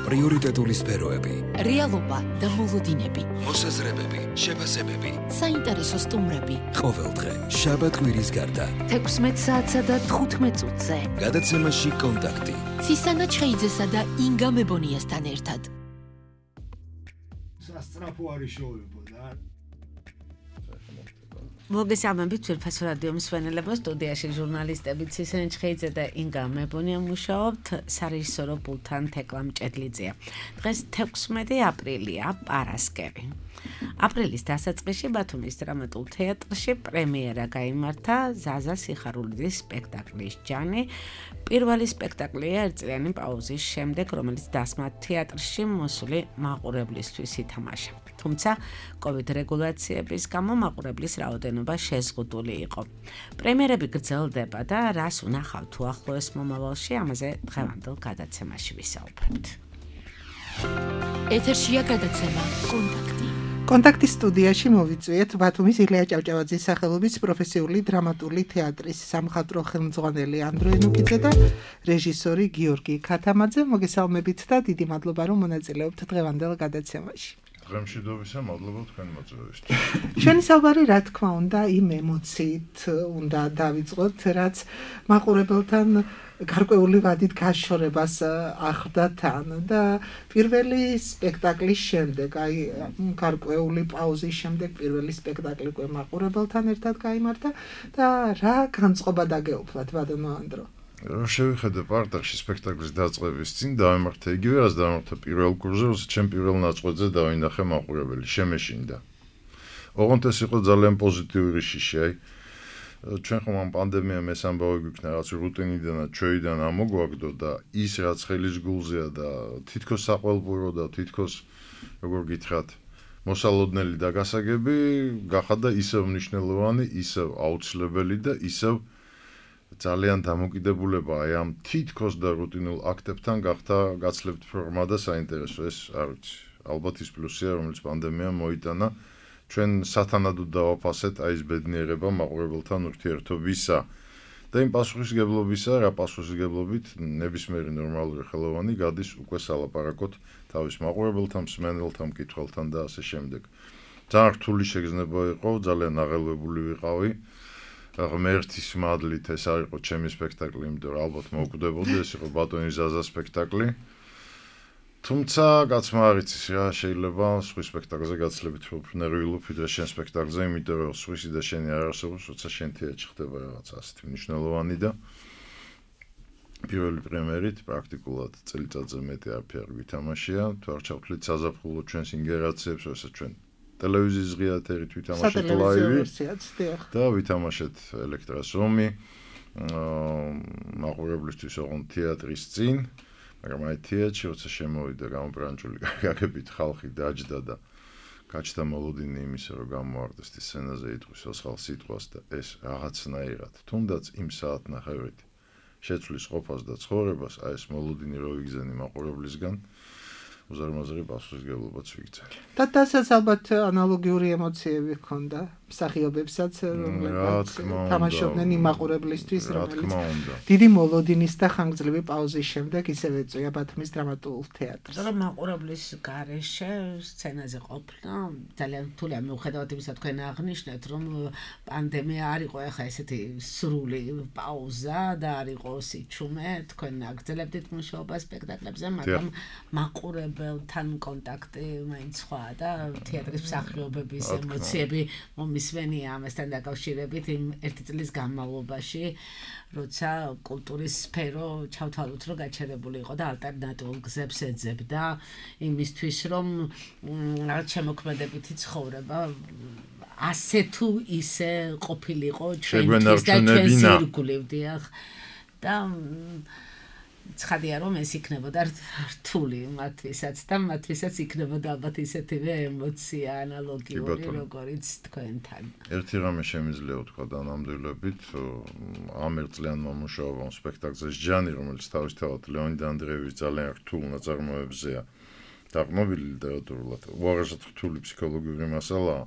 პრიორიტეტული სფეროები, რეალობა და მოლოდინები, მოსაზრებები, შეფასებები, საინტერესო სტუმრები. ყოველდღე შაბათ-კვირის გარდა 16 საათსა და 15 წუთზე. გადაცემაში კონტაქტი. ცისანა ჩხეიძესა და ინგა მებონიასთან ერთად. სასწრაფო არის შოუებო და მოგესალმებით ძვირფას რადიო მსმენელებო, სტუდიაში ჟურნალისტები ცისანა ჩხეიძე და ინგა მებონია მუშაობთ, სარეჟისორო პულტთან თეკლა მჭედლიძეა. დღეს 16 აპრილია, პარასკევი. აპრილის დასაწყისში ბათუმის დრამატულ თეატრში პრემიერა გაიმართა ზაზა სიხარულიძის სპექტაკლის ჯანი. პირველი სპექტაკლია ერთწლიანი პაუზის შემდეგ, რომელიც დასმა თეატრში მოსული მაყურებლისთვის ითამაშა. თუმცა COVID რეგულაციების გამო მაყურებლის რაოდენობა შეზღუდული იყო. პრემიერები გრძელდება და რას უნახავთ თუ ახლოეს მომავალში, ამაზე დღევანდელ გადაცემაში ვისაუბრებთ. ეთერშია გადაცემა კონტაქტი. კონტაქტის სტუდიაში მოვიწვიეთ ბათუმის ილია ჭავჭავაძის სახელობის პროფესიული დრამატული თეატრის სამხატვრო ხელმძღვანელი ანდრე ნუკიძე და რეჟისორი გიორგი ქათამაძე. მოგესალმებით და დიდი მადლობა რომ მონაწილეობთ დღევანდელ გადაცემაში. დღემშვიდობისა, მადლობა თქვენ მოწვევისთვის. ჩვენი საუბარი, რა თქმა უნდა, იმ ემოციით უნდა დავიწყოთ, რაც მაყურებელთან გარკვეული ვადით გაშორებას ახლდა თან და პირველი სპექტაკლის შემდეგ, აი გარკვეული პაუზის შემდეგ პირველი სპექტაკლი უკვე მაყურებელთან ერთად გაიმართა და რა განწყობა დაგეუფლათ ბატონო ანდრო? რომ შევიხედე პარტახში სპექტაკლის დაწყების წინ დავემართა იგივე რაც დავემართა პირველ კურსზე, როცა ჩემ პირველ ნაწყვეტზე დავინახე მაყურებელი, შემეშინდა. ოღონდ ეს იყო ძალიან პოზიტიური შიში, აი ჩვენ ხომ ამ პანდემიამ ეს ამბავი გვიქნა, რაც რუტინიდან და ჩვეიდან ამოგვაგდო და ის რაც ხელის გულზეა და თითქოს საყვალბურო და თითქოს როგორ გითხრათ, მოსალოდნელი და გასაგები გახადა ისევ მნიშვნელოვანი, ისევ აუცილებელი და ისევ ძალიან დამოკიდებულება აი ამ თითქოს და რუტინულ აქტებთან გახდა გაცლებთ ფორმა და საინტერესო. ეს არ ვიცი, ალბათ ის პლუსია, რომელიც პანდემიამ მოიტანა. ჩვენ სათანადოდ დავაფასეთ აი ეს ბედნიერება მაყურებელთან ურთიერთობისა და იმ პასუხისგებლობისა, რა პასუხისგებლობით ნებისმიერი ნორმალური ხელოვანი გადის უკვე სალაპარაკოთ თავის მაყურებელთან, მსმენელთან, მკითხველთან და ასე შემდეგ. ძალიან რთული შეგრძნება იყო, ძალიან აღელვებული ვიყავი. ღმერთის მადლით ეს არ იყო ჩემი სპექტაკლი, იმიტომ რომ ალბათ მოვკვდებოდი, ეს იყო ბატონი ზაზა სპექტაკლი. თუმცა კაცმა არ იცის რა, შეიძლება სხვის სპექტაკლზე გაცლებით უფრო ნერვიულობ ვიდრე შენ სპექტაკლზე, იმიტომ რომ სხვისი და შენი არ არსებობს, როცა შენ თეატრში ხდება რაღაც ასეთი მნიშვნელოვანი და პირველი პრემიერით პრაქტიკულად წელიწადზე მეტი არაფერი ვითამაშია, თუ არ ჩავთვლით საზაფხულო ჩვენს ინგერაციებს, როცა ჩვენ ტელევიზიის ღია ეთერით ვითამაშეთ ლაივი და ვითამაშეთ ელექტრას ომი მაყურებლისთვის ოღონდ თეატრის წინ, მაგრამ აი თეატრში როცა შემოვიდა გამობრანჭული გაგებით ხალხი დაჯდა და გაჩნდა მოლოდინი იმისა, რომ გამოარდეს ის სცენაზე იტყვის ასხალ სიტყვას და ეს რაღაცნაირად თუნდაც იმ საათნახევრით შეცვლის ყოფას და ცხოვრებას, აი ეს მოლოდინი რო იგზენი მაყურებლისგან უზარმაზარი პასუხისგებლობაც ვიქცე. და დასაც ალბათ ანალოგიური ემოციები ჰქონდა მსახიობებსაც, რომლებიც თამაშობდნენ იმ მაყურებლისთვის, რომელიც დიდი მოლოდინის და ხანგრძლივი პაუზის შემდეგ ისევ ეწვია ბათუმის დრამატულ თეატრს. და მაყურებლის გარეშე სცენაზე ყოფნა ძალიან რთულია, მიუხედავად იმისა, თქვენ აღნიშნეთ, რომ პანდემია არ იყო ახლა ესეთი სრული პაუზა და არ იყო სიჩუმე, თქვენ აგრძელებდით მუშაობა სპექტაკლებზე, მაგრამ მაყურებელთან კონტაქტი მაინც სხვაა და თეატრის მსახიობების ემოციები მისვენია ამასთან დაკავშირებით იმ ერთი წლის განმავლობაში, როცა კულტურის სფერო ჩავთვალოთ, რომ გაჩერებული იყო და ალტერნატიულ გზებს ეძებდა იმისთვის, რომ რაღაც შემოქმედებითი ცხოვრება ასე თუ ისე ყოფილიყო ჩვენთვის და ჩვენს ირგვლივ და ცხადია რომ ეს იქნებოდა რთული მათთვისაც და მათთვისაც იქნებოდა ალბათ ისეთივე ემოცია ანალოგიური როგორიც თქვენთან. ერთი რამე შემიძლია ვთქვა დანამდვილებით, ამ ერთწლიანმა მუშაობამ სპექტაკლზე ჯანი, რომელიც თავისთავად ლეონიდ ანდრეევის ძალიან რთულ ნაწარმოებზეა დაყრდნობილი ლიტერატურულად, უაღრესად რთული ფსიქოლოგიური მასალაა.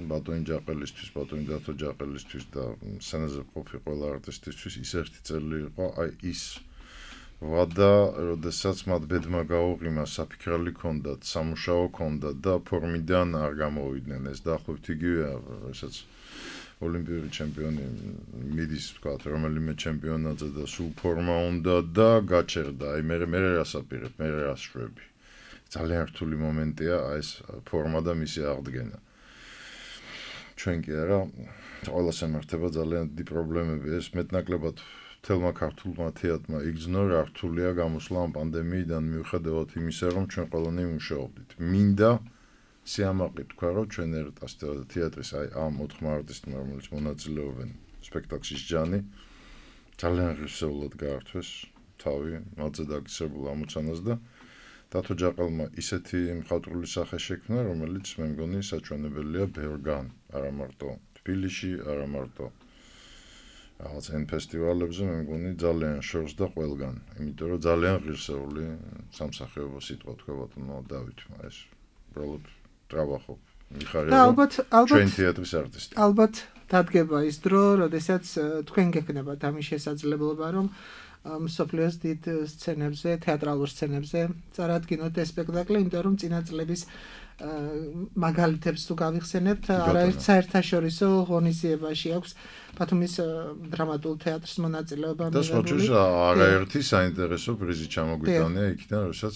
ბატონი ჯაყელისთვის, ბატონი დათო ჯაყელისთვის და სცენაზე ყოფილი ყველა არტისტისთვის ის ერთი წელი იყო, აი ის ვადა, როდესაც მათ ბედმა გაუღიმა, საფიქრალი ჰქონდათ, სამუშაო ჰქონდათ და ფორმიდან არ გამოვიდნენ. ეს დაახლოებით იგივეა, რასაც ოლიმპიური ჩემპიონი მიდის, ვთქვათ, რომელიმე ჩემპიონატზე და სულ ფორმა უნდა და გაჩერდა. აი მე რას აპირებ, მე რას შვები. ძალიან რთული მომენტია ეს ფორმა და მისი აღდგენა. ჩვენ კი არა, ყველას ემართება ძალიან დიდი პრობლემები. ეს მეტნაკლებად თელმა ქართულმა თეატრმა იგრძნო, რა რთულია გამოსვლა ამ პანდემიიდან მიუხედავად იმისა, რომ ჩვენ ყველანი მუშაობდით. მინდა სიამაყე თქვა, რომ ჩვენ ერტას თეატრის აი ამ 4 არტისტმა, რომელიც მონაწილეობენ სპექტაკლში ჯანი, ძალიან ღირსეულად გაართვეს თავი, მათზე დაკისრებულ ამოცანას და დათო ჯაყელმა ისეთი მხატვრული სახე შექმნა, რომელიც მე მგონი საჩვენებელია ბევრგან, არა მარტო თბილისში, არა მარტო რაღაც ან ფესტივალებზე, მე მგონი ძალიან შორს და ყველგან, იმიტომ რომ ძალიან ღირსეული სამსახიობო სიტყვა თქვა ბატონო დავითმა, ეს უბრალოდ ტრავახობ. და ალბათ ჩვენ თეატრის არტისტი. ალბათ დადგება ის დრო, როდესაც თქვენ გექნებათ ამის შესაძლებლობა, რომ მსოფლიოს დიდ სცენებზე, თეატრალურ სცენებზე წარადგინოთ ეს სპექტაკლი, იმიტომ რომ წინა წლების მაგალითებს თუ გავიხსენებთ, არაერთ საერთაშორისო ღონისძიებაში აქვს ბათუმის დრამატულ თეატრს მონაწილეობა და სხვაჯერ არაერთი საინტერესო პრიზი ჩამოგვიტანია იქიდან, როდესაც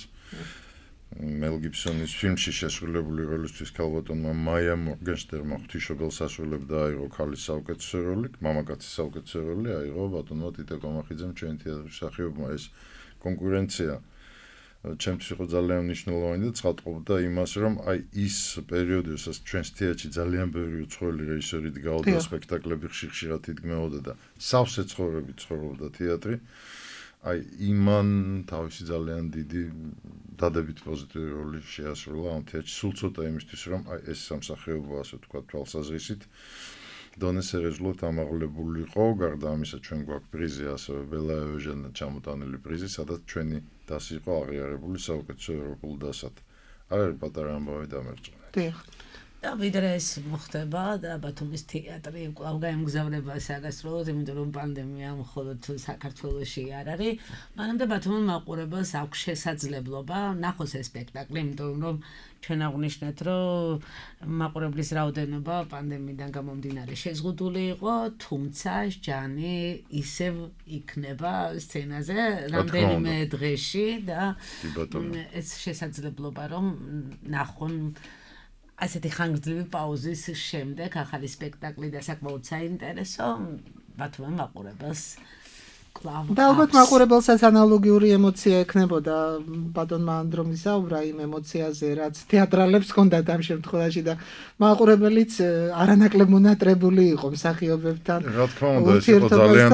მელ გიბსონის ფილმში შესრულებული როლისთვის ქალბატონმა მაია მორგენშტერნმა ღვთისმშობელს ასრულებდა, აიღო ქალის საუკეთესო როლი, მამაკაცის საუკეთესო როლი აიღო ბატონმა ტიტე კომახიძემ ჩვენ თეატრის მსახიობმა. ეს კონკურენცია ჩემთვის იყო ძალიან მნიშვნელოვანი და ცხადყოფდა იმას, რომ აი ის პერიოდი, როდესაც ჩვენს თეატრში ძალიან ბევრი უცხოელი რეჟისორი დგაოდა, სპექტაკლები ხშირად იდგმებოდა და სავსე ცხოვრებით ცხოვრობდა თეატრი. აი იმან თავისი ძალიან დიდი დადებით პოზიტიური როლი შეასრულა ამ თეატრში. სულ ცოტა იმისთვის, რომ აი ეს სამსახიობო, ასე ვთქვათ, თვალსაზრისით დონეს სერიოზულად ამაღლებულიყო. გარდა ამისა, ჩვენ გვაქვს პრიზი, ასევე ბელა ევჟენა ჩამოტანილი პრიზი, სადაც ჩვენი დასი იყო აღიარებული საუკეთესო ევროპულ დასად. არ არის პატარა ამბავი დამერწმუნე. დიახ. და ვიდრე ეს მოხდება და ბათუმის თეატრი კვლავ გაემგზავრება საგასროლოდ, იმიტომ რომ პანდემია მხოლოდ საქართველოში არ არის. მანამდე ბათუმის მაყურებელს აქვს შესაძლებლობა ნახოს ეს სპექტაკლი, იმიტომ რომ ჩვენ აღვნიშნეთ, რომ მაყურებლის რაოდენობა პანდემიიდან გამომდინარე შეზღუდული იყო, თუმცა ჯანი ისევ იქნება სცენაზე რამდენიმე დღეში და ეს შესაძლებლობა რომ ნახონ ასეთი ხანგრძლივი პაუზის შემდეგ ახალი სპექტაკლი და საკმაოდ საინტერესო ბათუმის მაყურებელს კლავ. და ალბათ მაყურებელსაც ანალოგიური ემოცია ექნებოდა ბატონმა ანდრომ ისაუბრა იმ ემოციაზე, რაც თეატრალებს ჰქონდათ ამ შემთხვევაში და მაყურებელიც არანაკლებ მონატრებული იყო მსახიობებთან. რა თქმა უნდა, ეს იყო ძალიან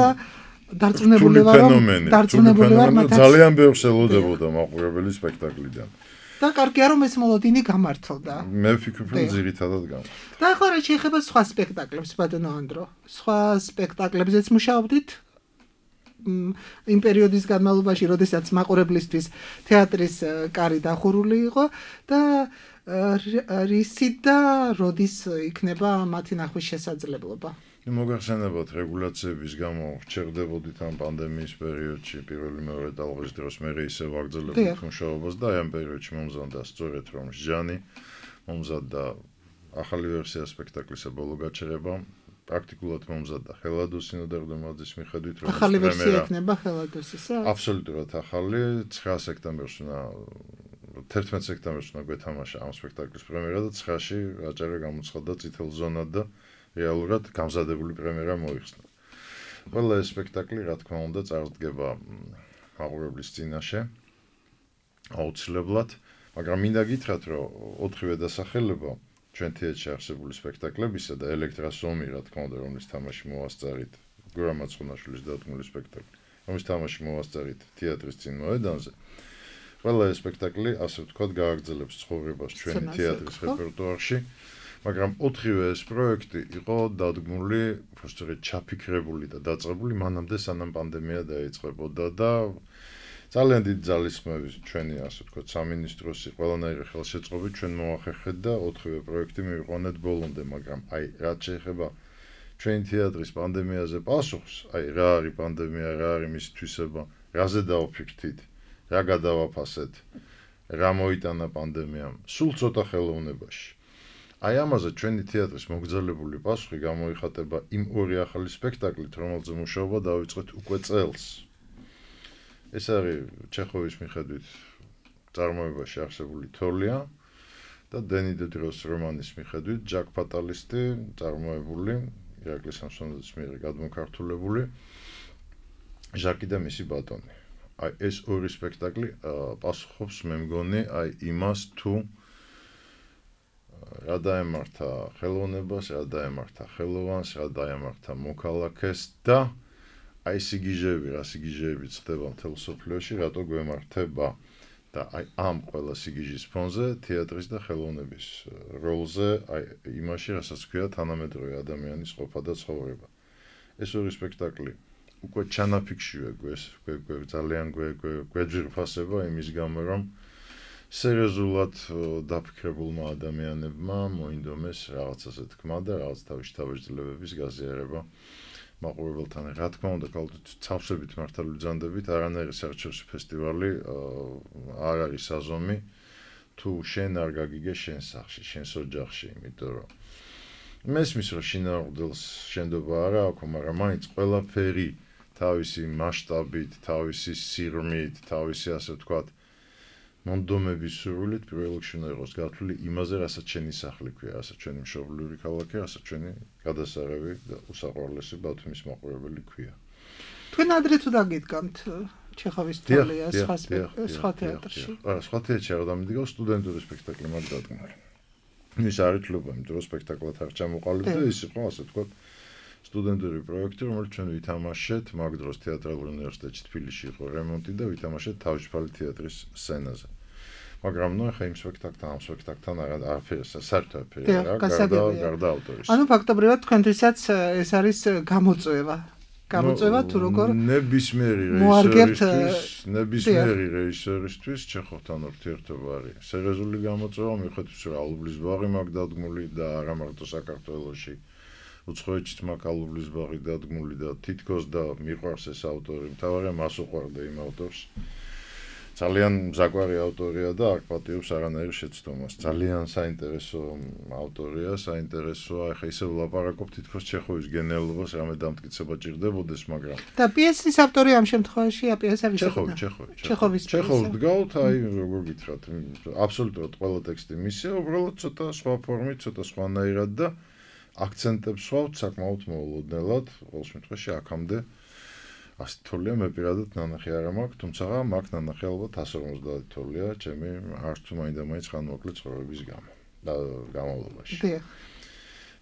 დარწმუნებული ვარ, ძალიან ბევრს ელოდებოდა მაყურებელი სპექტაკლიდან. და კარგია რომ ეს მოლოდინი გამართლდა. მე ვფიქრობ, რომ ძირითადად გამართლდა. და ახლა რა შეეხება სხვა სპექტაკლებს, ბატონო ანდრო? სხვა სპექტაკლებზეც მუშაობდით? იმ პერიოდის განმავლობაში, როდესაც მაყურებლისთვის თეატრის კარი დახურული იყო და რისი და როდის იქნება მათი ნახვის შესაძლებლობა? მოგახსენებათ, რეგულაციების გამო ვრჩერდებოდით ამ პანდემიის პერიოდში, პირველი მეორე ტალღის დროს მე ისევ ვაგრძელებდით მუშაობას და აი ამ პერიოდში მომზადდა სწორედ რომ ჟანი მომზადდა ახალი ვერსია სპექტაკლისა ბოლო გაჩერება. პრაქტიკულად მომზადდა ხელადოს სინოდარდომაძის მიხედვით, რომ ახალი ვერსია იქნება ხელადოსისა? აბსოლუტურად ახალი. 9 სექტემბერს 11 სექტემბერს გვეთამაშა ამ სპექტაკლის პრემიერა და 9-ში აჭარა გამოცხადდა წითელ ზონად და რეალურად გამზადებული პრემიერა მოიხსნა. ყველა ეს სპექტაკლი, რა თქმა უნდა, წარდგება მაყურებლის წინაშე აუცილებლად, მაგრამ მინდა გითხრათ, რომ 4-ვე დასახელება ჩვენ თეატრში არსებული სპექტაკლებისა და ელექტრას ომი, რა თქმა უნდა, რომლის თამაში მოვასწარით, გურამ მაცხონაშვილის დადგმული სპექტაკლი, რომლის თამაში მოვასწარით თეატრის წინ მოედანზე. ყველა ეს სპექტაკლი, ასე ვთქვათ, გააგრძელებს ცხოვრებას ჩვენი თეატრის რეპერტუარში. მაგრამ 4-ვე ეს პროექტი იყო დადგმული, უბრალოდ ჩაფიქრებული და დაწყებული მანამდე სანამ პანდემია დაიწყებოდა და ძალიან დიდი ძალისხმევით ჩვენი, ასე ვთქვათ, სამინისტროსი ყველანაირი ხელშეწყობით ჩვენ მოახერხეთ და 4-ვე პროექტი მივიყვანეთ ბოლომდე, მაგრამ აი რაც შეეხება ჩვენი თეატრის პანდემიაზე პასუხს, აი რა არის პანდემია, რა არის მისი თვისება, რაზე დავფიქრთით, რა გადავაფასეთ, რა მოიტანა პანდემიამ, სულ ცოტა ხელოვნებაში. აი ამაზე ჩვენი თეატრის მოგრძალებული პასუხი გამოიხატება იმ ორი ახალი სპექტაკლით, რომელზე მუშაობა დავიწყეთ უკვე წელს. ეს არის ჩეხოვის მიხედვით წარმოებაში არსებული თოლია და დენი დედროს რომანის მიხედვით ჯაკ ფატალისტი წარმოებული ირაკლი სამსონაძის მიერ გადმოქართულებული ჟაკი და მისი ბატონი. აი ეს ორი სპექტაკლი პასუხობს მე მგონი აი იმას თუ რა დაემართა ხელოვნებას, რა დაემართა ხელოვანს, რა დაემართა მოქალაქეს და აი სიგიჟეები, რა სიგიჟეებიც ხდება მთელ სოფლიოში, რატო გვემართება და აი ამ ყველა სიგიჟის ფონზე თეატრის და ხელოვნების როლზე აი იმაში, რასაც ქვია თანამედროვე ადამიანის ყოფა და ცხოვრება. ეს ორი სპექტაკლი უკვე ჩანაფიქშია ძალიან გვეძვირფასება იმის გამო, რომ სერიოზულად დაფიქრებულმა ადამიანებმა მოინდომეს რაღაცაზე თქმა და რაღაც თავისთავის გაზიარება მაყურებელთან. რა თქმა უნდა, ცავსებით მართალ ვიძანდებით, არანაირი საერთაშორისო ფესტივალი არ არის საზომი თუ შენ არ გაგიგე შენ სახლში, შენს ოჯახში, იმიტომ რომ მესმის რომ შინაურდელს შენდობა არა აქვს, მაგრამ მაინც ყველაფერი თავისი მასშტაბით, თავისი სიღრმით, თავისი ასე ვთქვათ მონდომების სურვილით პირველ რიგში უნდა იყოს გათვლილი იმაზე, რასაც შენი სახლი ქვია, რასაც ჩვენი მშობლიური ქალაქი, რასაც ჩვენი გადასაღები და უსაყვარლესი ბავთვის მაყურებელი ქვია. თქვენ ადრე თუ დაგიდგამთ ჩეხოვის თოლია სხვა თეატრში? არა, სხვა თეატრში არ დამიდგავ, სტუდენტური სპექტაკლი მაგ დადგმული. ის არის თლობა, იმიტომ რომ სპექტაკლად არ ჩამოყალიბდა და ის იყო ასე ვთქვათ სტუდენტური პროექტი, რომელიც ჩვენ ვითამაშეთ მაგ დროს თეატრალურ უნივერსიტეტში თბილისში იყო რემონტი და ვითამაშეთ თავისუფალი თეატრის სცენაზე. მაგრამ ნუ ახლა იმ სპექტაკლთან, ამ სპექტაკლთან არაფერი საერთოდ არ არის, გარდა ავტორის. ანუ ფაქტობრივად თქვენთვისაც ეს არის გამოწვევა თუ როგორ ნებისმიერი რეჟისორისთვის ჩეხოვთან ურთიერთობა არის სერიოზული გამოწვევა, მიუხედავად რომ ალუბლის ბაღი მაგ დადგმული და არა მარტო საქართველოში, უცხოეთშიც მაგ ალუბლის ბაღი დადგმული და თითქოს და მიყვარს ეს ავტორი, მთავარია მას უყვარდა იმ ავტორს. ძალიან მზაგვარი ავტორია და არ პატიობს არანაირ შეცდომას. ძალიან საინტერესო ავტორია, საინტერესოა. ახლა ისე ვლაპარაკობ თითქოს ჩეხოვის გენიალობას რამე დამტკიცება ჭირდებოდეს, მაგრამ და პიესის ავტორი ამ შემთხვევაში პიესა ვის იყო? ჩეხოვს დგავთ, აი როგორ გითხრათ, აბსოლუტურად ყველა ტექსტი მისია, უბრალოდ ცოტა სხვა ფორმით, ცოტა სხვანაირად და აქცენტებს ვსვავთ საკმაოდ მოულოდნელად, ყოველ შემთხვევაში აქამდე ასეთი თოლია მე პირადად ნანახი არ მაქვს, თუმცა მაქვს ნანახი ალბათ 150 თოლია, ჩემი არც თუ მაინდა-მაინც ხანმოკლე ცხოვრების გამო და განმავლობაში.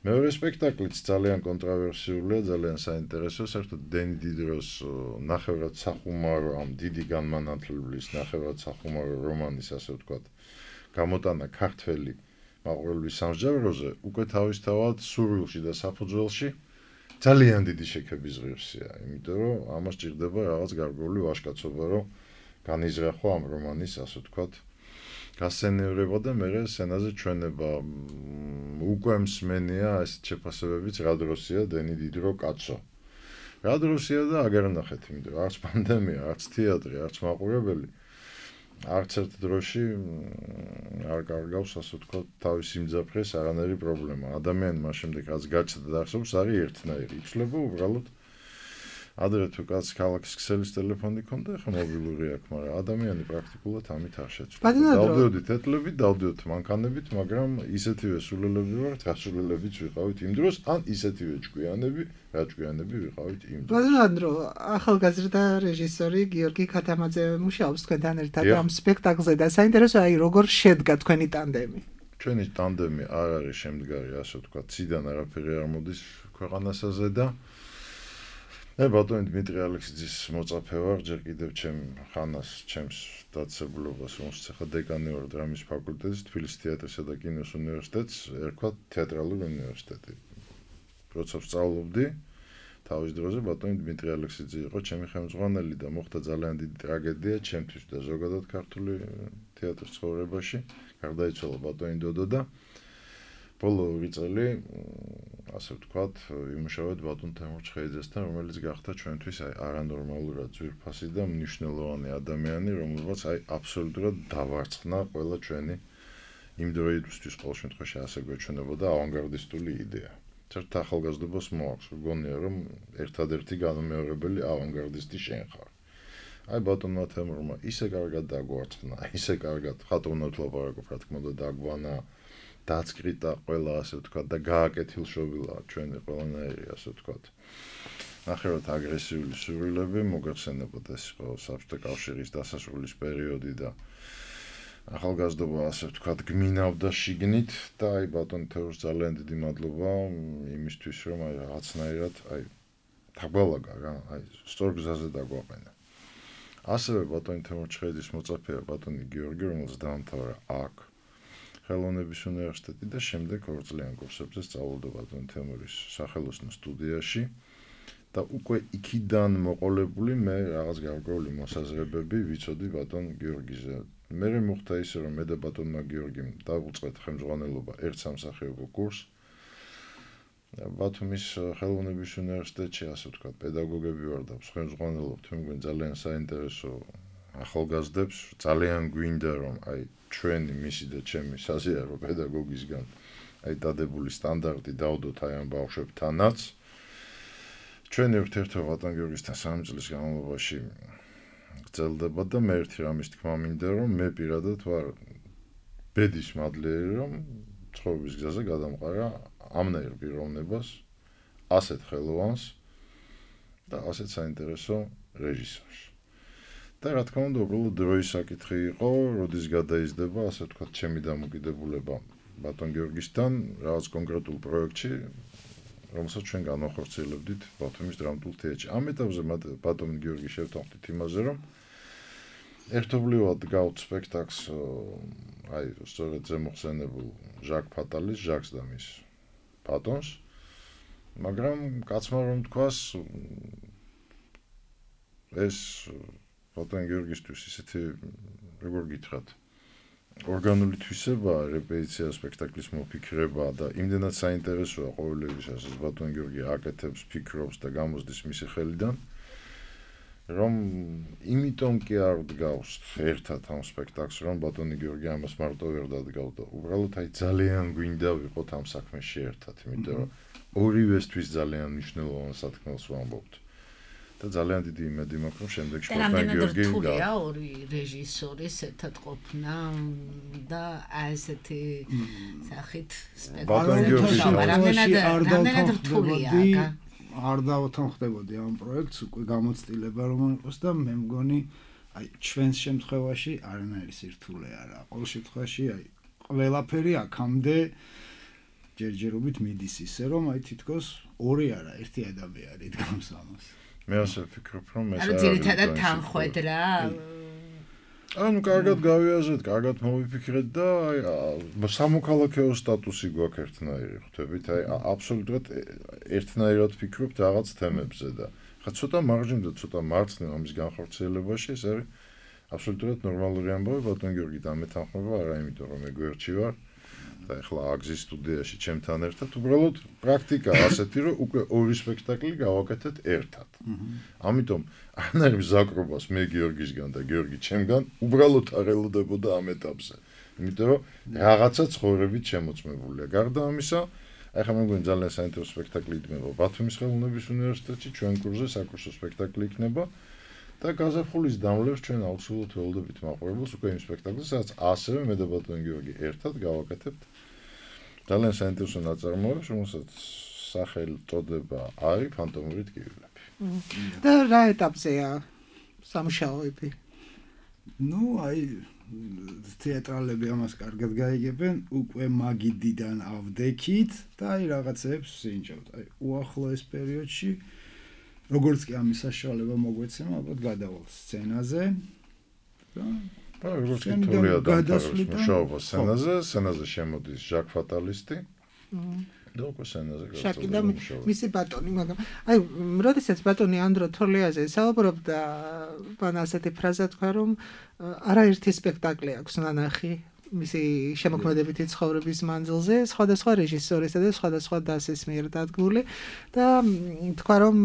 მეორე სპექტაკლიც ძალიან კონტროვერსიულია, ძალიან საინტერესო, საერთოდ დენი დიდროს ნახევრად სახუმარო ამ დიდი განმანათლებლის ნახევრად სახუმარო რომანის ასე ვთქვათ, გამოტანა ქართველი მაყურებლის სამსჯავროზე უკვე თავისთავად სურვილში და საფუძველში ძალიან დიდი შექების ღირსია, იმიტომ რომ ამას ჭირდება რაღაც გარკვეული ვაჟკაცობა, რომ განიზრახო ამ რომანის, ასე ვთქვათ, გასცენივრება და მერე სცენაზე ჩვენება. უკვე მსმენია ეს შეფასებებიც რა დროსია დენი დიდრო კაცო. რა დროსია და აგერ ნახეთ, იმიტომ რომ არც პანდემია, არც თეატრი, არც მაყურებელი არც ერთ დროში არ კარგავს, ასე ვთქვათ, თავის იმძაფრეს არანაირი პრობლემა. ადამიანი მას შემდეგ რაც გაჩნდა და ახსოვს, არის ერთნაირი. იცვლება უბრალოდ ადრე თუ კაც ქალაქის ქსელის ტელეფონი ქონდა, ახლა მობილური აქვს, მაგრამ ადამიანი პრაქტიკულად ამით არ შეცვლა. დავდიოდით ეთლებით, დავდიოდით მანქანებით, მაგრამ ისეთივე სულელები ვართ, რა სულელებიც ვიყავით იმ დროს, ან ისეთივე ჭკვიანები, რა ჭკვიანები ვიყავით იმ დროს. ბატონო, ახალგაზრდა რეჟისორი გიორგი ქათამაძე მუშაობს თქვენთან ერთად ამ სპექტაკლზე და საინტერესოა აი როგორ შედგა თქვენი ტანდემი. ჩვენი ტანდემი არ არის შემდგარი, ასე ვთქვათ, ციდან არაფერი არ მოდის ქვეყანასაზე და მე ბატონი დმიტრი ალექსიძის მოწაფე ვარ, ჯერ კიდევ ჩემს დაწესებულებას, რომელშიც ახლა დეკანი ვარ დრამის ფაკულტეტის, თბილისის თეატრისა და კინოს უნივერსიტეტს, ერქვათ თეატრალური უნივერსიტეტი. როცა ვსწავლობდი, თავის დროზე ბატონი დმიტრი ალექსიძე იყო ჩემი ხელმძღვანელი და მოხდა ძალიან დიდი ტრაგედია ჩემთვის და ზოგადად ქართული თეატრის ცხოვრებაში. გარდაიცვალა ბატონი დოდო და ბოლო 2 წელი ასე ვთქვათ, იმუშავეთ ბატონ თემურ ჩხეიძესთან, რომელიც გახდა ჩვენთვის არანორმალურად ძვირფასი და მნიშვნელოვანი ადამიანი, რომელსაც აბსოლუტურად დავარცხნა ყველა ჩვენი იმ დროისთვის ყოველ შემთხვევაში ასე გვეჩვენებოდა ავანგარდისტული იდეა. ერთ ახალგაზრდობას მოაქვს, გონია რომ ერთადერთი განუმეორებელი ავანგარდისტი შენ ხარ. ბატონმა თემურმა ისე კარგად დაგვარცხნა, ისე კარგად ხატოვნად ლაპარაკობ, რა თქმა უნდა, დაგვანა, დაწკრიტა ყველა ასე ვთქვათ და გააკეთილშობილა ჩვენი ყველანაირი ასე ვთქვათ. ნახევრად აგრესიული სურვილები მოგეხსენებოდა ეს იყო საბჭოთა კავშირის დასასრულის პერიოდი და ახალგაზრდობა ასე ვთქვათ გმინავდა შიგნით და ბატონ თემურს ძალიან დიდი მადლობა იმისთვის რომ რაღაცნაირად დაგვალაგა რა, სწორ გზაზე დაგვაყენა. ასევე ბატონ თემურ ჩხეიძის მოწაფეა ბატონი გიორგი, რომელსაც დაამთავრა აქ ხელოვნების უნივერსიტეტი და შემდეგ 2 წლიან კურსებზე სწავლობდა ბატონ თემურის სახელოსნო სტუდიაში და უკვე იქიდან მოყოლებული მე რაღაც გარკვეული მოსაზრებები ვიცოდი ბატონ გიორგიზე. მე მოხდა ისე რომ მე და ბატონმა გიორგიმ დავუწყეთ ხელმძღვანელობა ერთ სამსახიობო კურსს. ბათუმის ხელოვნების უნივერსიტეტში ასე ვთქვათ, პედაგოგები ვარ და ხელმძღვანელობთ, მე მგონი ძალიან საინტერესო ახალგაზრდებს, ძალიან გვინდა რომ ჩვენი მისი და ჩემი საზიარო პედაგოგისგან დადებული სტანდარტი დავდოთ ამ ბავშვებთანაც. ჩვენი ურთიერთობა ბატონ გიორგისთან 3 წლის განმავლობაში გრძელდება და მე ერთი რამის თქმა მინდა რომ მე პირადად ვარ ბედის მადლიერი რომ ცხოვრების გზაზე გადამყარა ამნაირ პიროვნებას, ასეთ ხელოვანს და ასეთ საინტერესო რეჟისორს. და რა თქმა უნდა, უბრალოდ დროის საკითხი იყო, როდის გადაიზრდება, ასე ვთქვათ, ჩემი დამოკიდებულება ბატონ გიორგისთან რაღაც კონკრეტულ პროექტში, რომელსაც ჩვენ განვახორციელებდით ბათუმის დრამატულ თეატრში. ამ ეტაპზე ბატონ გიორგი შევთანხმდით იმაზე, რომ ერთობლივად გავთ სპექტაკლს სწორედ ზემოხსენებულ ჟაკ ფატალის, ჟაკს და მის ბატონს, მაგრამ კაცმა რომ თქვას ეს ბატონ გიორგისთვის ისეთი როგორ გითხრათ ორგანული თვისება, რეპეტიცია, სპექტაკლის მოფიქრება და იმდენად საინტერესოა ყოველივისაც ეს ბატონ გიორგი აკეთებს, ფიქრობს და გამოსდის მისი ხელიდან, რომ იმიტომ კი არ ვდგავს ერთად ამ სპექტაკლს, რომ ბატონი გიორგი ამას მარტო ვერ დადგავდა. უბრალოდ ძალიან გვინდა ვიყოთ ამ საქმეში ერთად, იმიტომ რომ ორივესთვის ძალიან მნიშვნელოვან სათქმელს ვამბობთ. და ძალიან დიდი იმედი მაქვს, რომ შემდეგში ბატონ გიორგი რთულია ორი რეჟისორის ერთად ყოფნა და ესეთი სახით სპექტაკლი რთულია. არ დავთანხმდებოდი ამ პროექტს, უკვე გამოცდილება რომ იყოს და მე მგონი ჩვენს შემთხვევაში არანაირი სირთულე არა. ყოველ შემთხვევაში ყველაფერი აქამდე ჯერჯერობით მიდის ისე რომ თითქოს ორი არა, ერთი ადამიანი დგამს ამას. მე ასე ვფიქრობ, რომ ეს არის ძირითადად თანხwebdriver ანუ კარგად გავიაზრეთ, კარგად მოვიფიქრეთ და სამოქალაქეო სტატუსი გვაქვს ერთნაირი, ხვდებით? აბსოლუტურად ერთნაირად ვფიქრობთ რაღაც თემებზე და ხა ცოტა მარჯვნივ და ცოტა მარცხნივ ამის განხორციელებაში ეს არის აბსოლუტურად ნორმალური ამბავი, ბატონ გიორგი დამეთანხმება, არა იმიტომ რომ მე გვერდში ვარ და ეხლა აგზის სტუდიაში ჩემთან ერთად, უბრალოდ პრაქტიკა ასეთი, რომ უკვე ორი სპექტაკლი გავაკეთეთ ერთად. ამიტომ არანაირ მზაკრობას მე გიორგისგან და გიორგი ჩემგან უბრალოდ არ ელოდებოდა ამ ეტაპზე. იმიტომ რომ რაღაცა ცხოვრებით შემოწმებულია. გარდა ამისა, ახლა მე მგონი ძალიან საინტერესო სპექტაკლი იდგმება ბათუმის ხელოვნების უნივერსიტეტში, ჩვენ კურსზე საკურსო სპექტაკლი იქნება და გაზაფხულის დამლევს ჩვენ აუცილებლად ველოდებით მაყურებელს უკვე იმ სპექტაკლს, სადაც ასევე მე და ბატონ გიორგი ერთად გავაკეთებთ ძალიან საინტერესო ნაწარმოებს, რომელსაც სახელწოდება არის ფანტომური ტკივილები. და რა ეტაპზეა სამუშაოები? თეატრალები ამას კარგად გაიგებენ, უკვე მაგიდიდან ავდექით და რაღაცებს სინჯავთ. უახლოეს პერიოდში როგორც კი ამის საშუალება მოგვეცემა, ალბათ გადავალთ სცენაზე და როგორც კი თულია დამთავრებს მუშაობა სცენაზე შემოდის ჟაკ ფატალისტი და უკვე სცენაზე შაკი და მისი ბატონი, მაგრამ როდესაც ბატონი ანდრო თორლიაზე საუბრობდა, მან ასეთი ფრაზა თქვა, რომ არაერთი სპექტაკლი აქვს ნანახი მისი შემოქმედებითი ცხოვრების მანძილზე სხვადასხვა რეჟისორისა და სხვადასხვა დასის მიერ დადგმული და თქვა რომ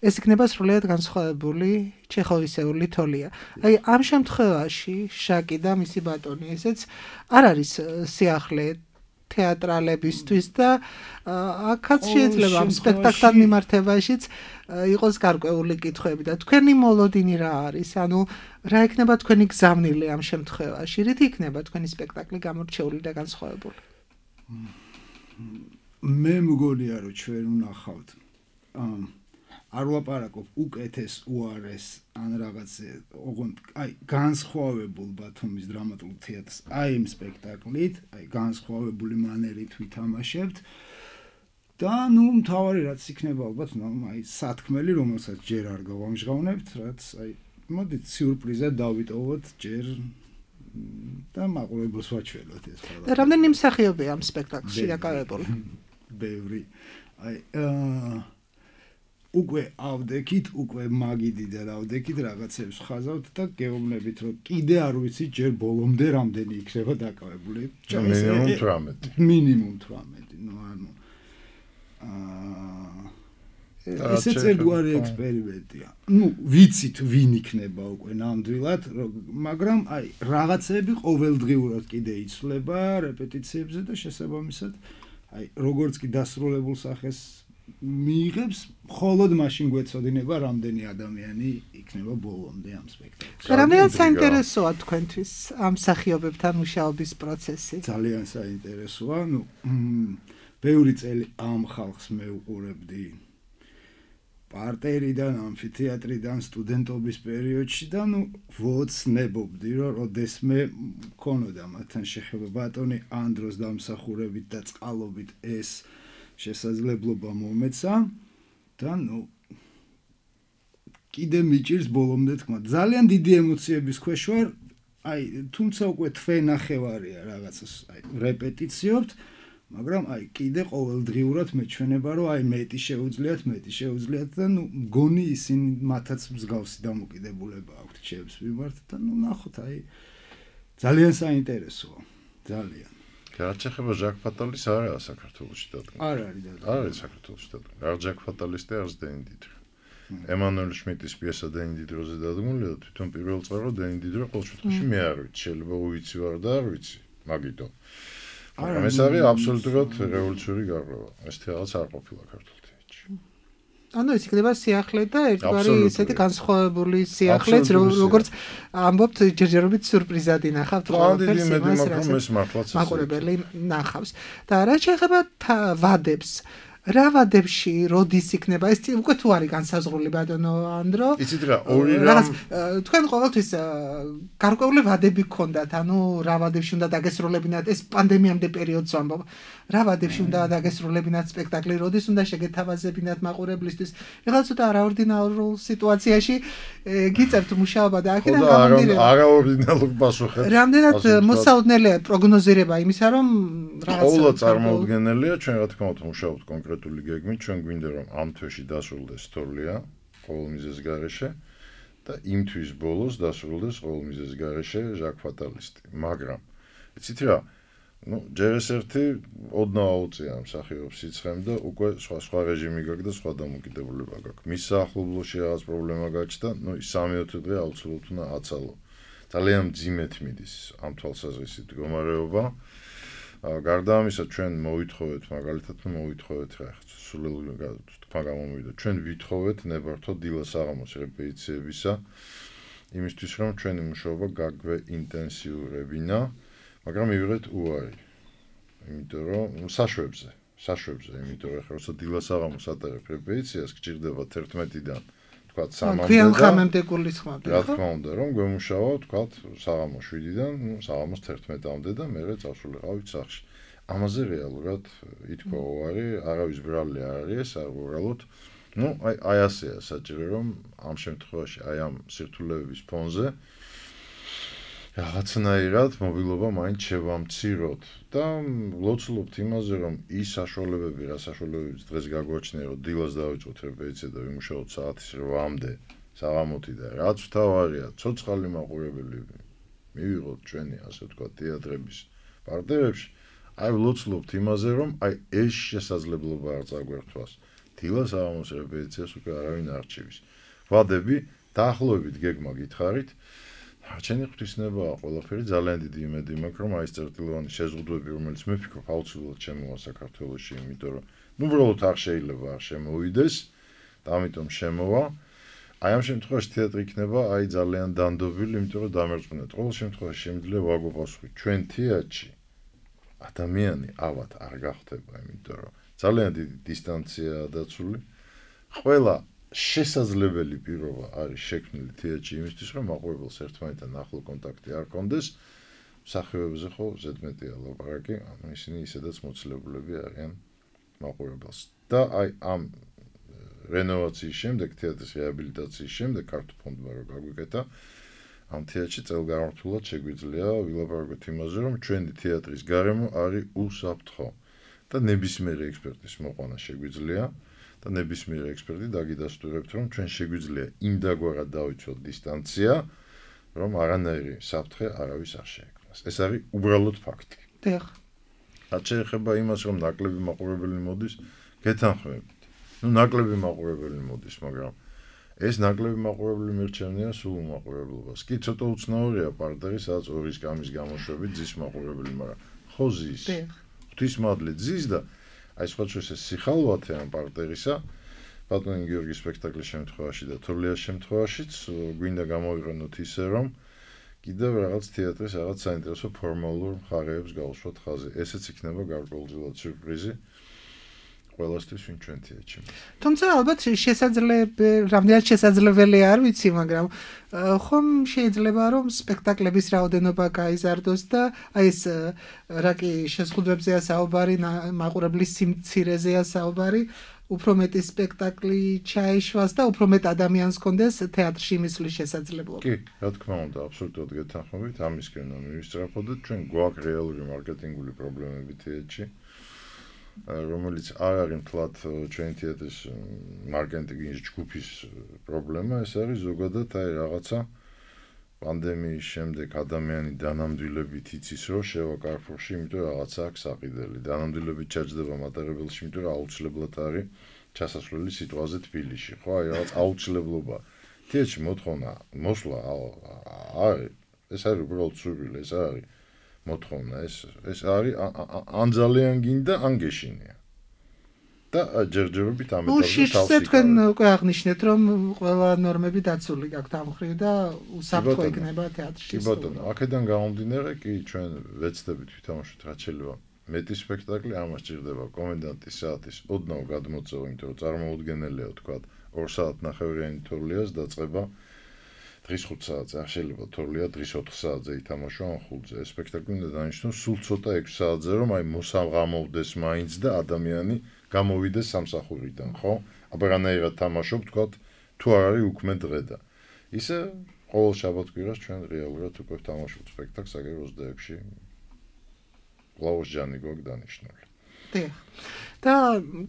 ეს იქნება სრულიად განსხვავებული ჩეხოვისეული თოლია. აი ამ შემთხვევაში შაკი და მისი ბატონი ესეც არ არის სიახლე თეატრალებისთვის და აქაც შეიძლება ამ სპექტაკლთან მიმართებაშიც იყოს გარკვეული კითხვები და თქვენი მოლოდინი რა არის? ანუ რა იქნება თქვენი გზავნილი ამ შემთხვევაში? რით იქნება თქვენი სპექტაკლი გამორჩეული და განსხვავებული? მე მგონია რომ ჩვენ ვნახავთ არ ვლაპარაკობ უკეთეს უარეს ან რაღაცე ოღონდ აი განსხვავებულ ბათუმის დრამატულ თეატრს აი იმ სპექტაკლით აი განსხვავებული მანერით ვითამაშებთ და ნუ მთავარი რაც იქნება ალბათ აი სათქმელი რომელსაც ჯერ არ გავამჟღავნებთ რაც აი მოდით სიურპრიზად დავიტოვოთ ჯერ და მაყურებელს ვაჩვენოთ ეს ყველა. და რამდენი მსახიობია ამ სპექტაკლში დაკავებული? ბევრი. აი უკვე ავდექით, უკვე მაგიდი და რავდექით რაღაცებს ხაზავთ და გეუბნებით რომ კიდე არ ვიცი ჯერ ბოლომდე რამდენი იქნება დაკავებული. მინიმუმ 18. მინიმუმ 18. ნუ ანუ ესეც ერთგვარი ექსპერიმენტია. ნუ ვიცით ვინ იქნება უკვე ნამდვილად, მაგრამ აი რაღაცები ყოველდღიურად კიდე იცვლება რეპეტიციებზე და შესაბამისად აი როგორც კი დასრულებულ სახეს მიიღებს, მხოლოდ მაშინ გვეცოდინება რამდენი ადამიანი იქნება ბოლომდე ამ სპექტაკლში. რამდენად საინტერესოა თქვენთვის ამ მსახიობებთან მუშაობის პროცესი? ძალიან საინტერესოა. ნუ ბევრი წელი ამ ხალხს მევუყურებდი პარტერიდან, ამფითეატრიდან, სტუდენტობის პერიოდში და ნუ ვოცნებობდი, რომ როდესმე მქონოდა მათთან შეხება ბატონი ანდროს დამსახურებით და წყალობით ეს შესაძლებლობა მომეცა და ნუ კიდე მიჭირს ბოლომდე თქმა. ძალიან დიდი ემოციების ქვეშ ვარ. აი, თუმცა უკვე თვენახევარია რაღაცას, აი, რეპეტიციობთ, მაგრამ აი კიდე ყოველდღიურად მეჩვენება, რომ აი მეტი შეუძლიათ და ნუ მგონი ისინი მათაც მსგავსი დამოკიდებულება აქვთ ჩემს მიმართ და ნუ ნახოთ აი ძალიან საინტერესოა. ძალიან. რაც ეხება ჟაკ ფატალის არაა საქართველოში დადგმული. არ არის დადგმული. არ არის საქართველოში დადგმული. არ ჟაკ ფატალის და არც დენი დიდრო. ემანუელ შმიტის პიესა დენი დიდროზე დადგმულია და თვითონ პირველ წყარო დენი დიდრო ყოველ შემთხვევაში მე არ ვიცი. შეიძლება უიცი ვარ და არ ვიცი. მაგითო. მაგრამ ეს არის აბსოლუტურად რევოლუციური გარღვევა. ეს რაღაც არ ყოფილა ქართულ თეატრში. ანუ ეს იქნება სიახლე და ერთგვარი ისეთი განსხვავებული სიახლეც, როგორც ამბობთ ჯერჯერობით სიურპრიზად ინახავთ ყველაფერს იმას, რასაც მაყურებელი ნახავს. და რა შეეხება ვადებს, რა ვადებში როდის იქნება ეს უკვე თუ არის განსაზღვრული ბატონო ანდრო? იცით რა, ორი რამ თქვენ ყოველთვის გარკვეული ვადები გქონდათ, ანუ რა ვადებში უნდა დაგესრულებინათ ეს პანდემიამდე პერიოდს ვამბობ. რა ვადებში უნდა დაგესრულებინათ სპექტაკლი, როდის უნდა შეგეთავაზებინათ მაყურებლისთვის? ეხლა ცოტა არაორდინალურ სიტუაციაში გიწევთ მუშაობა და აქედან გამომდინარე არაორდინალურ პასუხებს. რამდენად მოსაოდნელია პროგნოზირება იმისა, რომ რაღაცა ყოველ წარმოუდგენელია, ჩვენ რა თქმა უნდა მუშაობთ კონკრეტული გეგმით, ჩვენ გვინდა რომ ამ თვეში დასრულდეს თოლია ყოველ მიზეზს გარეშე და იმ თვის ბოლოს დასრულდეს ყოველ მიზეზს გარეშე ჟაკ ფატალისტი. მაგრამ იცით რა, ну, ჯერ ეს ერთი ოდნავ აუწია მსახიობს იცხემ და უკვე სხვა რეჟიმი გაქვს და სხვა დამოკიდებულება გაქვს. მის საახლობლოში რაღაც პრობლემა გაჩნდა, ну, 3-4 დღე აუცილებლად უნდა აცალო. ძალიან მძიმედ მიდის ამ თვალსაზრისით მდგომარეობა. გარდა ამისა ჩვენ მოვითხოვეთ მაგალითად მოვითხოვეთ რა სულელი თქვა გამომივიდა ჩვენ ვითხოვეთ ნებართო დილას აღამოს რეპეტიციებისა იმისთვის რომ ჩვენი მუშაობა გაგვეინტენსიურებინა მაგრამ მივიღეთ უარი იმიტომ რომ საშვებზე იმიტომ რომ ხერხო დილას აღამოს ატარებ რეპეტიციას გჭირდება 11-დან თქვა 3-მდე გვიან ხამემდე გულისხმობთ რა თქმა უნდა რომ გვემუშავა თქვა საღამოს 7-დან საღამოს 11-მდე და მერე წავსულიყავით სახლში ამაზე რეალურად ითქვა უარი არავის ბრალი არ არის არ უბრალოდ ну აი ასეა საჭირო რომ ამ შემთხვევაში აი ამ სირთულეების ფონზე რაღაცნაირად მობილობა მაინც შევამციროთ და ვლოცულობთ იმაზე რომ ის საშუალებები რა საშუალებებიც დღეს გაგვაჩნია რომ დილას დავიწყოთ რეპეტიცია და ვიმუშაოთ საათის 8-მდე საღამოთი და რაც თავარია ცოცხალი მაყურებელი მივიღოთ ჩვენი ასე ვთქვათ თეატრების პარტნიორებში, აი ვლოცულობთ იმაზე, რომ აი ეს შესაძლებლობა არ წაგვერთვას. დილას საღამოს რეპეტიციას უკვე არავინ არ რჩივის. ვადები დაახლოებით გეგმა გითხარით. ჩემი ღვთისმებაა ყველაფერი ძალიან დიდი იმედი მაქვს, რომ აი ეს წერტილოვანი შეზღუდვები, რომელიც მე ვფიქრობ აუცილებლად შემოვა საქართველოში, იმიტომ რომ უბრალოდ არ შეიძლება არ შემოვიდეს და ამიტომ შემოვა. აი ამ შემთხვევაში თეატრი იქნება აი ძალიან დანდობილი, იმიტომ რომ დამერწმუნეთ. ყოველ შემთხვევაში შემიძლია ვაგვაპასუხოთ ჩვენ თეატრში ადამიანი ავად არ გახდება, იმიტომ რომ ძალიან დიდი დისტანციაა დაცული. ყველა შესაძლებელი პირობა არის შექმნილი თეატრში იმისთვის, რომ მაყურებელს ერთმანეთთან ახლო კონტაქტი არ ჰქონდეს. მსახიობებზე ხო ზედმეტია ლაპარაკი, ანუ ისინი ისედაც მოცილებულები არიან მაყურებელს. და აი ამ რენოვაციის შემდეგ, თეატრის რეაბილიტაციის შემდეგ ქართულ ფონდმა რო გაგვიკეთა, ამ თეატრში წელგამართულად შეგვიძლია ვილაპარაკოთ იმაზე, რომ ჩვენი თეატრის გარემო არის უსაფრთხო და ნებისმიერი ექსპერტის მოყვანა შეგვიძლია და ნებისმიერი ექსპერტი დაგიდასტურებთ, რომ ჩვენ შეგვიძლია იმდაგვარად დავიცვათ დისტანცია, რომ არანაირი საფრთხე არავის არ შეექმნას. ეს არის უბრალოდ ფაქტი. დიახ. რაც შეეხება იმას, რომ ნაკლები მაყურებელი მოდის, გეთანხმებით. ნაკლები მაყურებელი მოდის, მაგრამ ეს ნაკლები მაყურებელი მირჩევნია სულ მაყურებლობას. კი ცოტა უცნაურია პარტნიორი, სადაც ორის გამის გამოშვებით ძის მაყურებელი, მაგრამ ხო ზის. ღვთისმადლი ძის და აი სხვა შეს ეს სიხალვათე ამ პარტნიორისა, ბატონი გიორგის სპექტაკლის შემთხვევაში და თურლიას შემთხვევაშიც გვინდა გამოვიყენოთ ისე, რომ კიდევ რაღაც თეატრის რაღაც საინტერესო ფორმალურ მხარეებს გავუსვათ ხაზი. ესეც იქნება გარკვეულწილად სიურპრიზი. ყველასთვის ვინ ჩვენ თეატრში. თუმცა ალბათ რამდენად შესაძლებელი არ ვიცი, მაგრამ ხომ შეიძლება რომ სპექტაკლების რაოდენობა გაიზარდოს და აი ეს რა კი შეზღუდვებზეა საუბარი, მაყურებლის სიმცირეზეა საუბარი, უფრო მეტი სპექტაკლი ჩაიშვას და უფრო მეტ ადამიანს კონდეს თეატრში მისვლის შესაძლებლობა. კი, რა თქმა უნდა, აბსოლუტურად გეთანხმებით, ამისკენ მივისწრაფოდეთ, ჩვენ გვაქვს რეალური მარკეტინგული პრობლემები თეატრში. რომელიც არ არის მთლად ჩვენი თეატრის მარკეტინგის ჯგუფის პრობლემა, ეს არის ზოგადად აი რაღაცა პანდემიის შემდეგ ადამიანი დანამდვილებით იცის, რომ შევა კარფურში, იმიტომ რომ რაღაცა აქვს საყიდელი. დანამდვილებით ჩაჯდება მატარებელში, იმიტომ რომ აუცილებლად არის ჩასასვლელი სიტყვაზე თბილისში. ხო, აი რაღაც აუცილებლობა. თეატრში მოთხოვნა მოსვლა არის, ეს არის უბრალოდ სურვილი, ეს არის მოთხოვნა, ეს არის ან ძალიან გინდა, ან გეშინია. და ჯერჯერობით ამ ეტაპზე თავში თქვენ უკვე აღნიშნეთ, რომ ყველა ნორმები დაცული გაქვთ ამ მხრივ და უსაფრთხო იქნება თეატრში. კი ბატონო, აქედან გამომდინარე, კი ჩვენ ვეცდებით ვითამაშოთ რაც შეიძლება მეტი სპექტაკლი, ამას ჭირდება კომენდანტის საათის ოდნავ გადმოწევა, იმიტომ რომ წარმოუდგენელია თქვა 2 საათნახევრიანი თორლიას დაწყება დღის 5 საათზე, არ შეიძლება თორლია დღის 4 საათზე ითამაშო ან 5-ზე. ეს სპექტაკლი უნდა დანიშნოს სულ ცოტა 6 საათზე, რომ აი მოსაღამოვდეს მაინც და ადამიანი გამოვიდეს სამსახურიდან, ხო? აბარანაირად თამაშობ, თქვა, თუ არ არის უქმე დღე და. ისე ყოველ შაბათ-კვირას ჩვენ რეალურად უკვე ვთამაშობთ სპექტაკლს აგერ 26-ში. კლაუს ჯანი გვაქვს დანიშნული. დიახ. და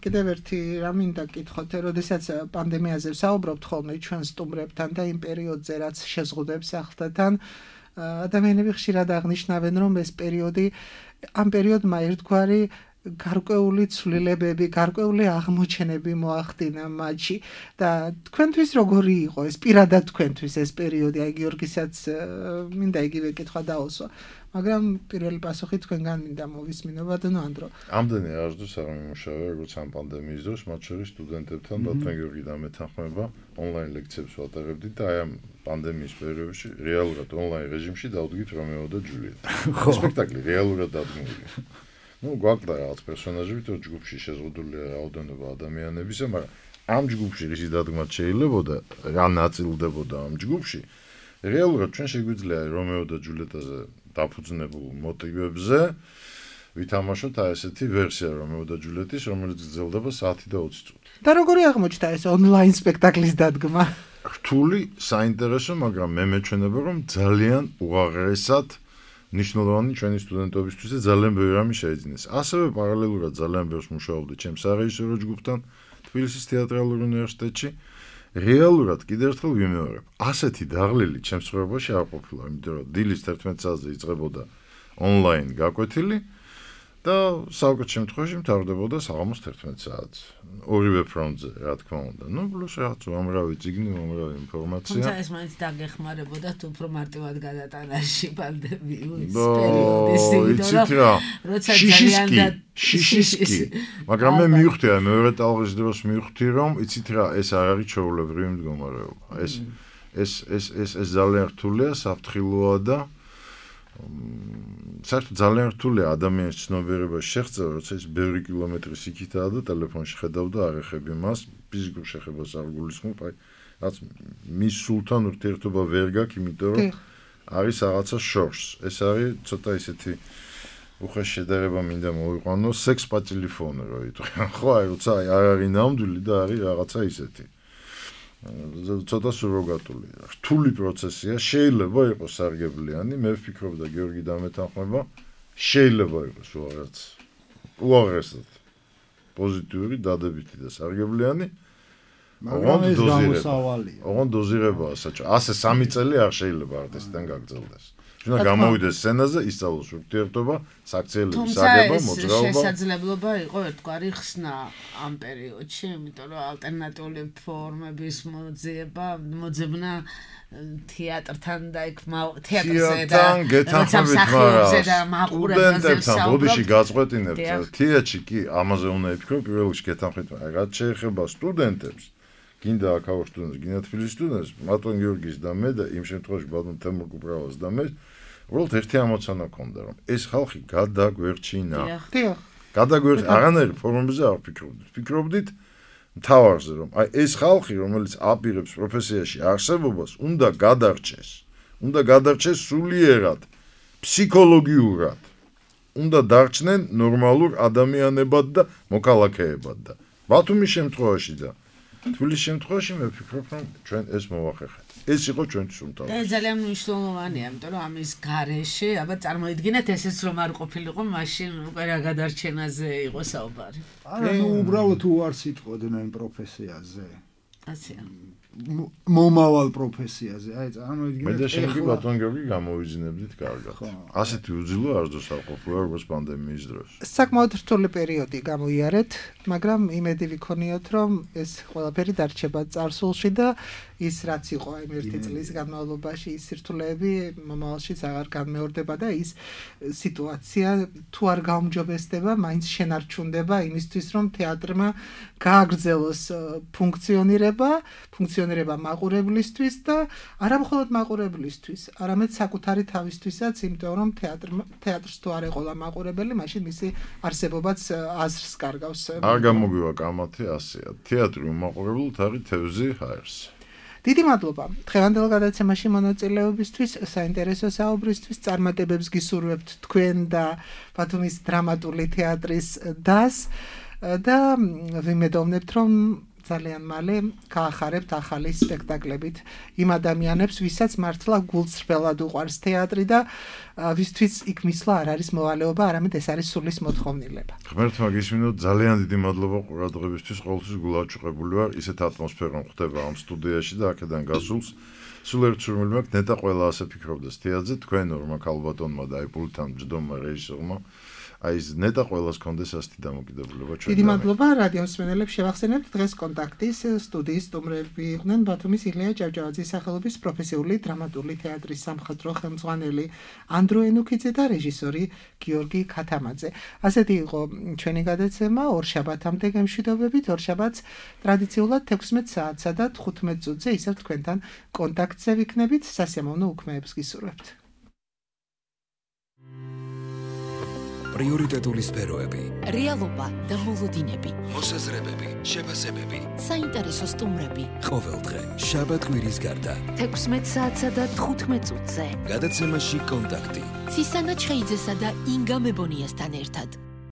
კიდევ ერთი რა მინდა გითხოთ, როდესაც პანდემიაზე ვსაუბრობთ ხოლმე ჩვენ სტუმრებთან და იმ პერიოდზე რაც შეზღუდვებს ახლდათან, ადამიანები ხშირად აღნიშნავენ, რომ ეს პერიოდი ამ პერიოდმა ერთგვარი გარკვეული ცვლილებები, გარკვეული აღმოჩენები მოახდინა მათში და თქვენთვის როგორი იყო ეს პირადად თქვენთვის ეს პერიოდი, აი გიორგისაც მინდა იგივე კითხვა დაუსვა. მაგრამ პირველი პასუხი თქვენგან მინდა მოვისმინო ბატონო ანდრო. ამდენი არასდროს არ მიმუშავე, როგორც ამ პანდემიის დროს, მათ შორის სტუდენტებთან ბატონ გიორგი და მე თანხმობა ონლაინ ლექციებს ვატარებდით და აი ამ პანდემიის პერიოდში რეალურად ონლაინ რეჟიმში დავდგით რომეო და ჯულიეტა. სპექტაკლი რეალურად დადგმულია. გვაქვს რაღაც პერსონაჟები, თუ ჯგუფში შეზღუდულია რაოდენობა ადამიანებისა, მაგრამ ამ ჯგუფში ისი დადგმაც შეიძლებოდა, რა ნაწილდებოდა ამ ჯგუფში. რეალურად ჩვენ შეგვიძლია რომეო და ჯულიეტაზე დაფუძნებულ მოტივებზე ვითამაშოთ აი ესეთი ვერსია რომეო და ჯულიეტის, რომელიც გრძელდება საათი და 20 წუთი. და როგორი აღმოჩნდა ეს ონლაინ სპექტაკლის დადგმა? რთული, საინტერესო, მაგრამ მე მეჩვენება, რომ ძალიან უაღრესად ნიშნულოვანი ჩვენი სტუდენტობისთვის და ძალიან ბევრი რამე შეიძინეს. ასევე პარალელურად ძალიან ბევრს მუშაობდი ჩემს სარეჟისორო ჯგუფთან თბილისის თეატრალურ უნივერსიტეტში. რეალურად კიდევ ერთხელ ვიმეორებ, ასეთი დაღლილი ჩემს ცხოვრებაში არ ყოფილა, იმიტომ რომ დილის 11 საათზე იწყებოდა ონლაინ გაკვეთილი და საუკეთ შემთხვევაში მთავრდებოდა საღამოს 11 საათს. ორივე ფრონტზე, რა თქმა უნდა. ნუ პლუს რაღაც უამრავი წიგნი, უამრავი ინფორმაცია. თუმცა ეს მაინც დაგეხმარებოდა თუ უფრო მარტივად გადატანაში პანდემიის პერიოდის, როცა ძალიან და შიშისკი. მაგრამ მე მივხვდი, მეორე ტალღის დროს მივხვდი, რომ იცით რა, ეს არ არის ჩვეულებრივი მდგომარეობა. ეს ძალიან რთულია, საფრთხილოა და საერთოდ ძალიან რთულია ადამიანის ცნობიერებას შეღწევა, როცა ის ბევრი კილომეტრის იქითაა და ტელეფონში ხედავ და არ ეხები მას, ფიზიკურ შეხებას არ გულისხმობ, აი, რაც მის სულთან ურთიერთობა ვერ გაქვს, იმიტომ რომ არის რაღაცა შორს. ეს არის ცოტა ისეთი უხეშ შედარება მინდა მოვიყვანო, სექს პა ტელეფონი რო იტყვიან. ხო, აი, როცა არ არის ნამდვილი და არის რაღაცა ისეთი. ცოტა სუროგატული. რთული პროცესია, შეიძლება იყოს სარგებლიანი, მე ვფიქრობ და გიორგი დამეთანხმება, შეიძლება იყოს რაღაც უაღრესად პოზიტიური, დადებითი და სარგებლიანი. მაგრამ ეს გამოსავალია. ოღონდ დოზირებაა საჭირო. ასე 3 წელი არ შეიძლება არტისტთან გაგრძელდეს. უნდა გამოვიდეს სცენაზე, ისწავლოს ურთიერთობა, საქციელების აგება, მოძრაობა. თუმცა შესაძლებლობა იყო ერთგვარი ხსნა ამ პერიოდში, იმიტომ რომ ალტერნატიული ფორმების მოძებნა თეატრთან და იქ თეატრზე და გეთანხმებით, მაგრამ სტუდენტებთან ბოდიში გაწყვეტინებთ. თეატრში კი ამაზე უნდა იფიქრო, პირველ რიგში გეთანხმებით, მაგრამ რაც შეეხება სტუდენტებს, გინდა აქაურ სტუდენტს, გინდა თბილისის სტუდენტს, მატონ გიორგის და მე და იმ შემთხვევაში ბატონ თემურ კუპრავას და მე უბრალოდ ერთი ამოცანა ქონდა, რომ ეს ხალხი გადაგვერჩინა. გადაგვერჩინა, აღანერი ფორმებზე არ ვფიქრობდით. ვფიქრობდით მთავარზე, რომ აი ეს ხალხი, რომელიც აპირებს პროფესიაში არსებობას, უნდა გადარჩეს. უნდა გადარჩეს სულიერად, ფსიქოლოგიურად. უნდა დარჩნენ ნორმალურ ადამიანებად და მოქალაქეებად და ბათუმის შემთხვევაში და თბილისის შემთხვევაში მე ვფიქრობ, რომ ჩვენ ეს მოვახერხეთ. ეს იყო ჩვენთვის უმთავრესი. და ძალიან მნიშვნელოვანია, იმიტომ რომ ამის გარეშე, აბა წარმოიდგინეთ ესეც რომ არ ყოფილიყო, მაშინ უკვე რა გადარჩენაზე იყო საუბარი. არა, ნუ უბრალოდ უარს იტყოდნენ პროფესიაზე. ასეა. მომავალ პროფესიაზე. აი, წარმოიდგინეთ. მე და შემდგომ ბატონ გიორგი გამოვიძინებდით კარგად. ასეთი უძილო არ დოსაყოფილა როგორც პანდემიის დროს. საკმაოდ რთული პერიოდი გამოიარეთ, მაგრამ იმედი ვიქონიოთ, რომ ეს ყველაფერი დარჩება წარსულში და ის რაც იყო აი 1 წლის განმავლობაში ის სირთულეები მომავალშიც აღარ განმეორდება და ის სიტუაცია თუ არ გაუმჯობესდება, მაინც შენარჩუნდება იმისთვის, რომ თეატრმა გააგრძელოს ფუნქციონირება მაყურებლისთვის და არა მხოლოდ მაყურებლისთვის, არამედ საკუთარი თავისთვისაც, იმიტომ რომ თეატრს თუ არ ეყოლა მაყურებელი, მაშინ მისი არსებობაც აზრს კარგავს. არ გამოგვივა კამათი ასეა. თეატრი უმაყურებლად არის თევზი ჰაერს. დიდი მადლობა დღევანდელ გადაცემაში მონაწილეობისთვის, საინტერესო საუბრისთვის, წარმატებებს გისურვებთ თქვენ და ბათუმის დრამატული თეატრის დასს და ვიმედოვნებთ, რომ ძალიან მალე გაახარებთ ახალი სპექტაკლებით იმ ადამიანებს, ვისაც მართლა გულწრფელად უყვარს თეატრი და ვისთვის იქ მისვლა არ არის მოვალეობა, არამედ ეს არის სულის მოთხოვნილება. ღმერთმა გისმინოთ, ძალიან დიდი მადლობა ყურადღებისთვის, ყოველთვის გულაჭუყებული ვარ, ისეთ ატმოსფერო ხდება ამ სტუდიაში და აქედან გასულს. სულ ერთ სურვილი მაქვს, ნეტა ყველა ასე ფიქრობდეს თეატრზე, თქვენ ორმა ქალბატონმა და აი პულთან ჯდომმა რეჟისორმა. აი ეს ნეტა ყველას კონდეს ასეთი დამოკიდებულება ჩვენ. დიდი მადლობა რადიოს მსმენელებს შევახსენებთ დღეს კონტაქტის სტუდიის სტუმრები იყვნენ ბათუმის ილია ჭავჭავაძის სახელობის პროფესიული დრამატული თეატრის სამხატვრო ხელმძღვანელი ანდრო ენუქიძე და რეჟისორი გიორგი ქათამაძე. ასეთი იყო ჩვენი გადაცემა ორშაბათამდე გემშვიდობებით. ორშაბათს ტრადიციულად 16 საათსა და 15 წუთზე ისევ თქვენთან კონტაქტზე ვიქნებით. სასიამოვნო უქმეებს გისურვებთ. პრიორიტეტული სფეროები, რეალობა და მოლოდინები, მოსაზრებები, შეფასებები, საინტერესო სტუმრები. ყოველდღე შაბათ-კვირის გარდა 16 საათსა და 15 წუთზე. გადაცემაში კონტაქტი. ცისანა ჩხეიძესა და ინგა მებონიასთან ერთად.